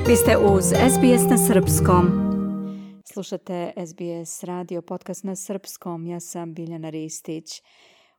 Vi ste uz SBS na srpskom. Slušate SBS radio podcast na srpskom. Ja sam Biljana Ristić.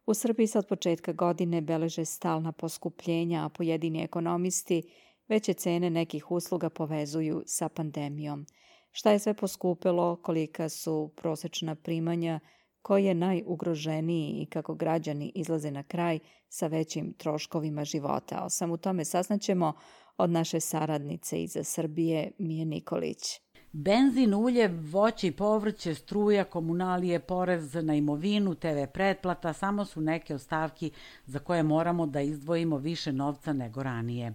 U Srbiji se od početka godine beleže stalna poskupljenja, a pojedini ekonomisti veće cene nekih usluga povezuju sa pandemijom. Šta je sve poskupilo, kolika su prosečna primanja, ko je najugroženiji i kako građani izlaze na kraj sa većim troškovima života. O svemu tome saznaćemo od naše saradnice iz Srbije, Mije Nikolić. Benzin, ulje, voće i povrće, struja, komunalije, porez na imovinu, TV pretplata samo su neke od stavki za koje moramo da izdvojimo više novca nego ranije.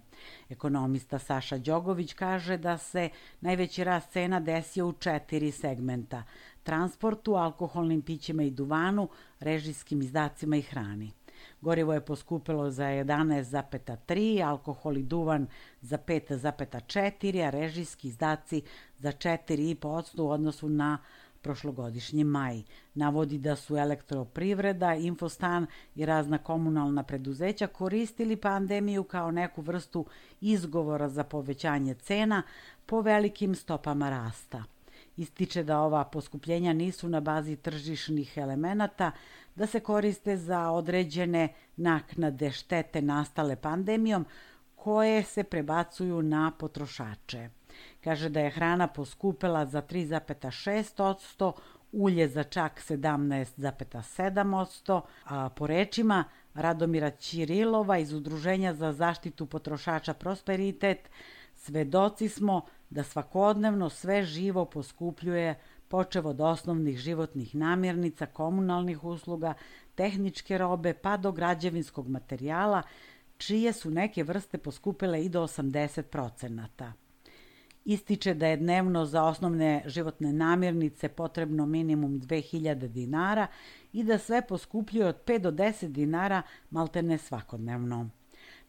Ekonomista Saša Đogović kaže da se najveći rast cena desio u 4 segmenta: transportu, alkoholnim pićima i duvanu, režijskim izdacima i hrani. Gorivo je poskupilo za 11,3%, alkohol i duvan za 5,4%, a režijski izdaci za 4,5% u odnosu na prošlogodišnji maj. Navodi da su Elektroprivreda, Infostan i razna komunalna preduzeća koristili pandemiju kao neku vrstu izgovora za povećanje cena po velikim stopama rasta. Ističe da ova poskupljenja nisu na bazi tržišnih elemenata, da se koriste za određene naknade štete nastale pandemijom koje se prebacuju na potrošače. Kaže da je hrana poskupela za 3,6%, ulje za čak 17,7%, a po rečima Radomira Ćirilova iz Udruženja za zaštitu potrošača Prosperitet, svedoci smo da svakodnevno sve živo poskupljuje, počev od osnovnih životnih namirnica, komunalnih usluga, tehničke robe pa do građevinskog materijala, čije su neke vrste poskupile i do 80%. Ističe da je dnevno za osnovne životne namirnice potrebno minimum 2000 dinara i da sve poskupljuje od 5 do 10 dinara maltene svakodnevno.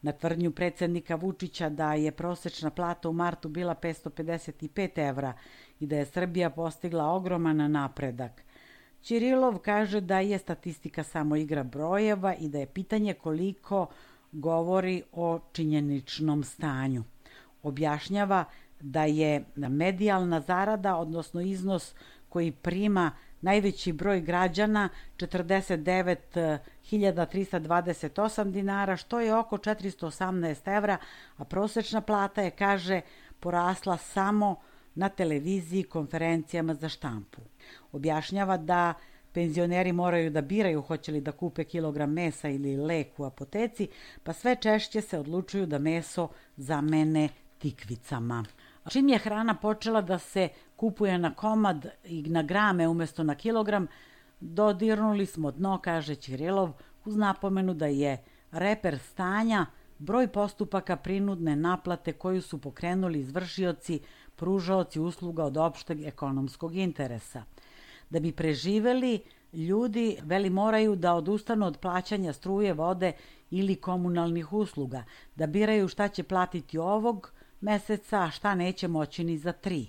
Na tvrdnju predsjednika Vučića da je prosečna plata u martu bila 555 evra i da je Srbija postigla ogroman napredak, Ćirilov kaže da je statistika samo igra brojeva i da je pitanje koliko govori o činjeničnom stanju. Objašnjava da je medijalna zarada, odnosno iznos koji prima najveći broj građana, 49.328 dinara, što je oko 418 evra, a prosečna plata je, kaže, porasla samo na televiziji i konferencijama za štampu. Objašnjava da penzioneri moraju da biraju hoće li da kupe kilogram mesa ili lek u apoteci, pa sve češće se odlučuju da meso zamene tikvicama. Čim je hrana počela da se kupuje na komad i na grame umjesto na kilogram, dodirnuli smo dno, kaže Ćirilov, uz napomenu da je reper stanja broj postupaka prinudne naplate koju su pokrenuli izvršioci, pružaoci usluga od opšteg ekonomskog interesa. Da bi preživeli, ljudi moraju da odustanu od plaćanja struje, vode ili komunalnih usluga, da biraju šta će platiti ovog meseca, a šta neće moći ni za 3.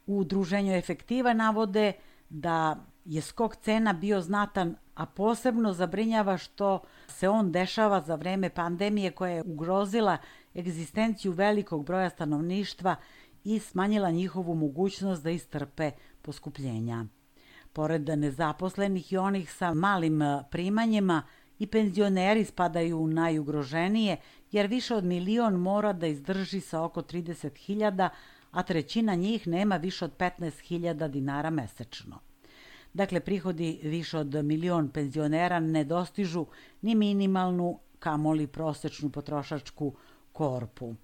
U udruženju Efektiva navode da je skok cena bio znatan, a posebno zabrinjava što se on dešava za vreme pandemije koja je ugrozila egzistenciju velikog broja stanovništva i smanjila njihovu mogućnost da istrpe poskupljenja. Pored nezaposlenih i onih sa malim primanjima, i penzioneri spadaju u najugroženije, jer više od 1 milion mora da izdrži sa oko 30.000, a trećina njih nema više od 15.000 dinara mesečno. Dakle, prihodi više od 1 milion penzionera ne dostižu ni minimalnu, kamoli prosečnu potrošačku korpu.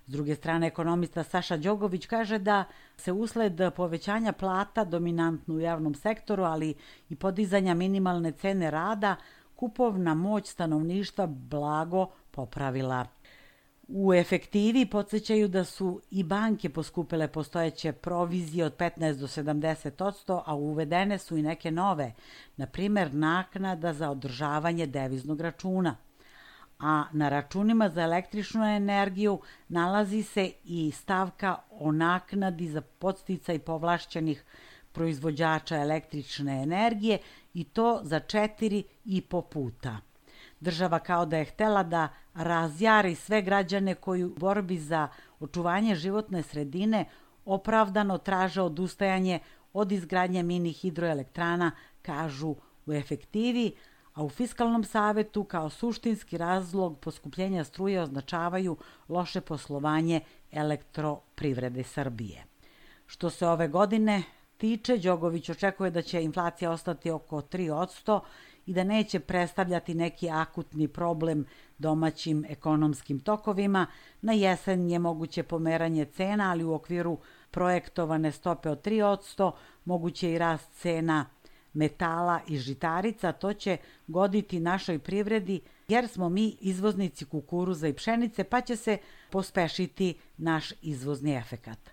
S druge strane, ekonomista Saša Đogović kaže da se usled povećanja plata, dominantno u javnom sektoru, ali i podizanja minimalne cene rada, kupovna moć stanovništva blago popravila. U Efektivi podsjećaju da su i banke poskupile postojeće provizije od 15 do 70%, a uvedene su i neke nove, na primjer naknada za održavanje deviznog računa. A na računima za električnu energiju nalazi se i stavka o naknadi za podsticaj povlašćenih proizvođača električne energije i to za 4,5 puta. Država kao da je htela da razjari sve građane koji u borbi za očuvanje životne sredine opravdano traže odustajanje od izgradnje mini hidroelektrana, kažu u efektivi, a u Fiskalnom savetu kao suštinski razlog poskupljenja struje označavaju loše poslovanje Elektroprivrede Srbije. Što se ove godine tiče, Đogović očekuje da će inflacija ostati oko 3% i da neće predstavljati neki akutni problem domaćim ekonomskim tokovima. Na jesen je moguće pomeranje cena, ali u okviru projektovane stope od 3%, moguće i rast cena metala i žitarica. To će goditi našoj privredi jer smo mi izvoznici kukuruza i pšenice, pa će se pospešiti naš izvozni efekat.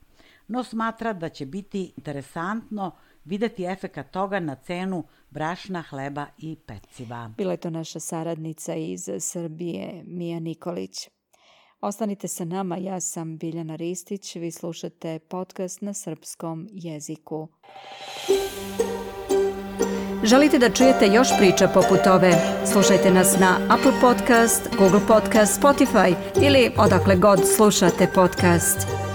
No smatra da će biti interesantno videti efekat toga na cenu brašna, hleba i peciva. Bila je to naša saradnica iz Srbije, Mija Nikolić. Ostanite sa nama, ja sam Biljana Ristić, vi slušate podcast na srpskom jeziku. Želite da čujete još priča poput ove? Slušajte nas na Apple Podcast, Google Podcast, Spotify ili odakle god slušate podcast.